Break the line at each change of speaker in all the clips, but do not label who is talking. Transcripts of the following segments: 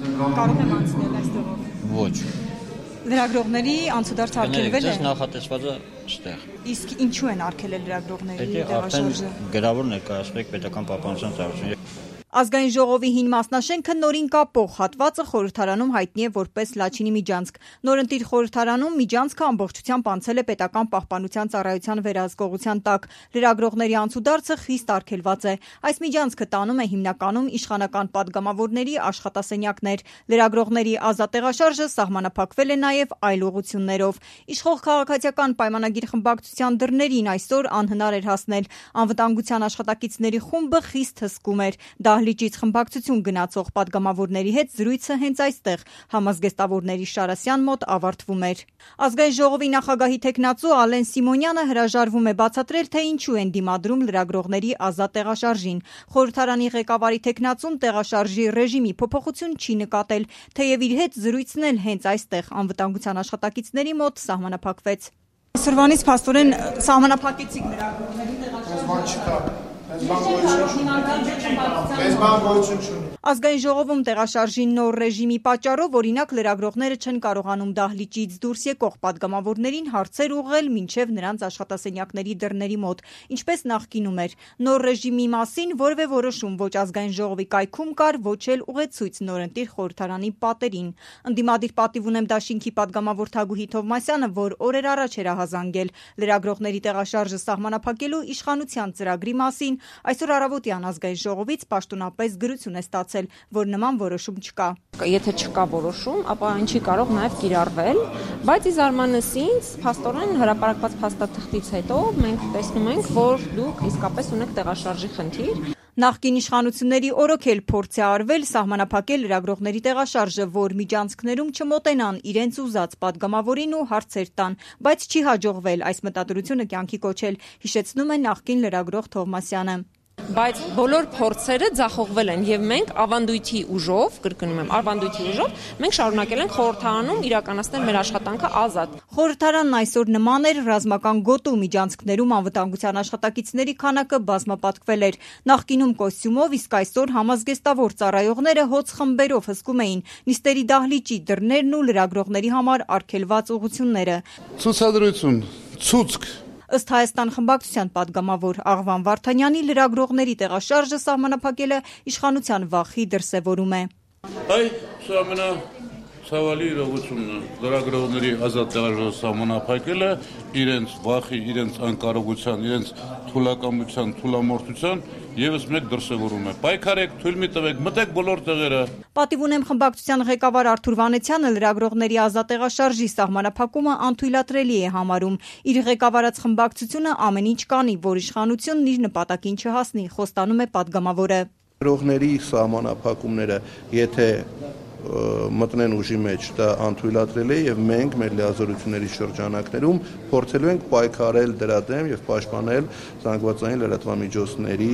Կարող եմ անցնել այստեղով։
Ոչ։
Լրագրողների անցուդարձ արգելվել է։
Ձեզ նախատեսված է ստեղ։
Իսկ ինչու են արգելել լրագրողների
Պետք է
տեղաշարժը։
գրավոր ներկայացվեք պետական պահպանության ծառայության։
Ազգային ժողովի հին մասնաշենքը նորին կապող հատվածը խորհրդարանում հայտնի է որպես Լաչինի միջանցք։ Նորընտիր խորհրդարանում միջանցքը ամբողջությամբ անցել է պետական պահպանության ծառայության վերահսկողության տակ։ Լրագրողների անցուդարձը խիստ արգելված է։ Այս միջանցքը տանում է հիմնականում իշխանական падգամավորների աշխատասենյակներ։ Լրագրողների ազատ տեղաշարժը սահմանափակվել է նաև այլ ուղղություններով։ Իշխող քաղաքացիական պայմանագիր խմբակցության դռներին այսօր անհնար էր հասնել։ Անվտանգության աշխատակիցների խումբը խիստ հսկում էր։ Դահլիճից խմբակցություն գնացող падգամավորների հետ զրույցը հենց այստեղ համազգեստավորների Շարասյան մոտ ավարտվում էր։ Ազգային ժողովի նախագահի թեկնածու Ալեն Սիմոնյանը հրաժարվում է բացատրել, թե ինչու են դիմադրում լրագրողների ազատ տեղաշարժին։ Խորհրդարանի ղեկավարի թեկնածուն տեղաշարժի ռեժիմի փոփոխություն չի նկատել, թեև իր հետ զրույցն էլ հենց այստեղ անվտանգության աշխատակիցների մոտ սահմանափակվեց։ Այսօրվանից փաստորեն սահմանափակեցիք լրագրողների տեղաշարժը։ Ազգային ժողովում տեղաշարժի նոր ռեժիմի պատճառով օրինակ լրագրողները չեն կարողանում դահլիճից դուրս եկող падգամավորներին հարցեր ուղղել մինչև նրանց աշխատասենյակների դռների մոտ, ինչպես նախկինում էր։ Նոր ռեժիմի մասին որևէ որոշում ոչ ազգային ժողովի կայքում կար, ոչ էլ ուղեցույց նորընտիր խորհրդարանի պատերին։ Ընդդիմադիր պատիվ ունեմ դաշինքի падգամավոր Թագուհի Թովմասյանը, որ օրեր առաջ էր ահազանգել լրագրողների տեղաշարժը սահմանափակելու իշխանության ծրագրի մասին, այսօր առավոտյան ազգային ժողովից պաշտոնապես գրություն է ստացել, որ նման որոշում չկա։
Եթե չկա որոշում, ապա ինչի կարող նաև կիրառվել, բայց ի զարմանս ինձ, փաստորեն հրապարակված փաստաթղթից հետո մենք տեսնում ենք, որ դուք իսկապես ունեք տեղաշարժի խնդիր։
Նախկին իշխանությունների օրոքել փորձ է արվել սահմանափակել լրագրողների տեղաշարժը, որ միջանցքներում չմոտենան իրենց ուզած падգամավորին ու հարցեր տան, բայց չի հաջողվել այս մտադրությունը կյանքի կոչել, հիշեցնում է նախկին լրագրող Թովմասյանը։
Բայց բոլոր փորձերը ձախողվել են եւ մենք ավանդույթի ուժով, կրկնում եմ, ավանդույթի ուժով, մենք շարունակել ենք խորհրդարանում իրականացնել մեր աշխատանքը ազատ։
Խորհրդարանն այսօր նման էր ռազմական գոտու միջանցքներում անվտանգության աշխատակիցների քանակը բազմապատկվել էր։ Նախկինում կոստյումով, իսկ այսօր համազգեստավոր ծառայողները հոծ խմբերով հսկում էին նիստերի դահլիճի դռներն ու լրագրողների համար արգելված ուղղությունները։
Ցուցադրություն, ցուցկ
Ըստ Հայաստան խմբակցության падգամավոր Աղվան Վարդանյանի լրագրողների տեղաշարժը սահմանափակելը իշխանության վախի դրսևորում է։
Սա ամենացավալի իրողությունն է։ Լրագրողների ազատ տեղաշարժը սահմանափակելը իրենց վախի, իրենց անկարողության, իրենց թուլակամության, թուլամորթության եւս մեկ դրսևորում է։ Պայքարեք, թույլ մի տվեք, մտեք բոլոր տեղերը։
Պատիվ ունեմ խմբակցության ղեկավար Արթուր Վանեցյանը լրագրողների ազատ տեղաշարժի սահմանափակումը անթույլատրելի է համարում։ Իր ղեկավարած խմբակցությունը ամեն ինչ կանի, որ իշխանությունն իր նպատակին չհասնի, խոստանում է падգամավորը։
Լրագրողների սահմանափակումները, եթե մտնեն ուժի մեջ, դա անթույլատրել է եւ մենք մեր լիազորությունների շրջանակներում փորձելու ենք պայքարել դրա դեմ եւ պաշտպանել զանգվածային լրատվամիջոցների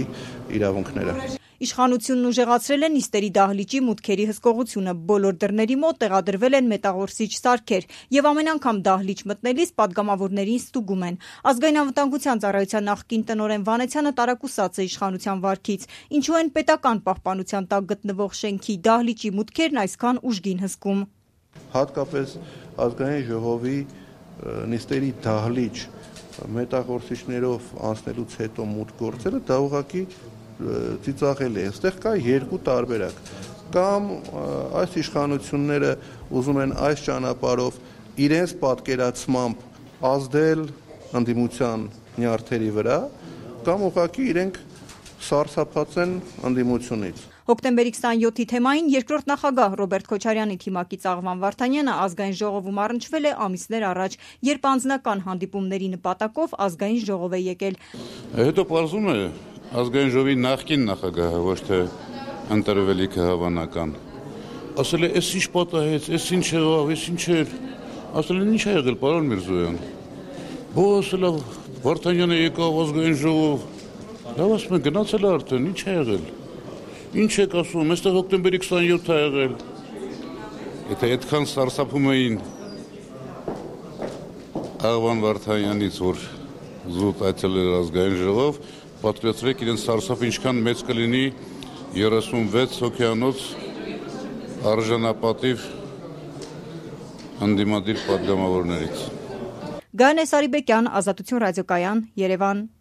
իրավունքները։
Իշխանությունն ուժեղացրել է նիստերի դահլիճի մուտքերի հսկողությունը, բոլոր դռների մոտ տեղադրվել են մետաղորսիչ սարքեր եւ ամեն անգամ դահլիճ մտնելիս падգամավորներին ստուգում են։ Ազգային անվտանգության ծառայության նախկին տնօրեն Վանեցյանը տարակուսած է իշխանության վարքից, ինչու են պետական պահպանության տակ գտնվող շենքի դահլիճի մուտքերն այսքան ուժգին հսկում։
Հատկապես ազգային ժողովի նիստերի դահլիճ մետաղորսիչներով անցնելուց հետո մուտք գործելը դա ուղղակի ծիծաղել է։ Այստեղ կա երկու տարբերակ։ Կամ այս իշխանությունները ուզում են այս ճանապարհով իրենց պատկերացմամբ ազդել ընդդիմության նյարդերի վրա, կամ ուղղակի իրենք սարսափած են ընդդիմությունից։
Հոկտեմբերի 27-ի թեմային երկրորդ նախագահ Ռոբերտ Քոչարյանի թիմակից Աղվան Վարդանյանը ազգային ժողովում առնչվել է ամիսներ առաջ, երբ անձնական հանդիպումների նպատակով ազգային ժողով է եկել։
Հետո պարզում է ազգային ժողովի նախկին նախագահը, ոչ թե ընտրվելիքը հավանական, ասել է, «Էս ինչ պատահեց, էս ինչ եղավ, էս ինչ էր»։ Ասել են, «Ինչ է եղել, պարոն Միրզոյան»։ Ասել է, Վարդանյանը եկավ ազգային ժողով։ Լավ, ասում են, գնացել է արդեն, ինչ է եղել։ Ինչ եք ասում, այստեղ հոկտեմբերի 27-ը է եղել։ Եթե այդքան սարսափում էին Աղվան Վարդանյանից, որ զուտ այցելել էր ազգային ժողով, պատկերացրեք իրենց սարսափը ինչքան մեծ կլինի 36 հոգեանոց արժանապատիվ ընդդիմադիր պատգամավորներից։
Գայանե Սարիբեկյան, Ազատություն ռադիոկայան, Երևան։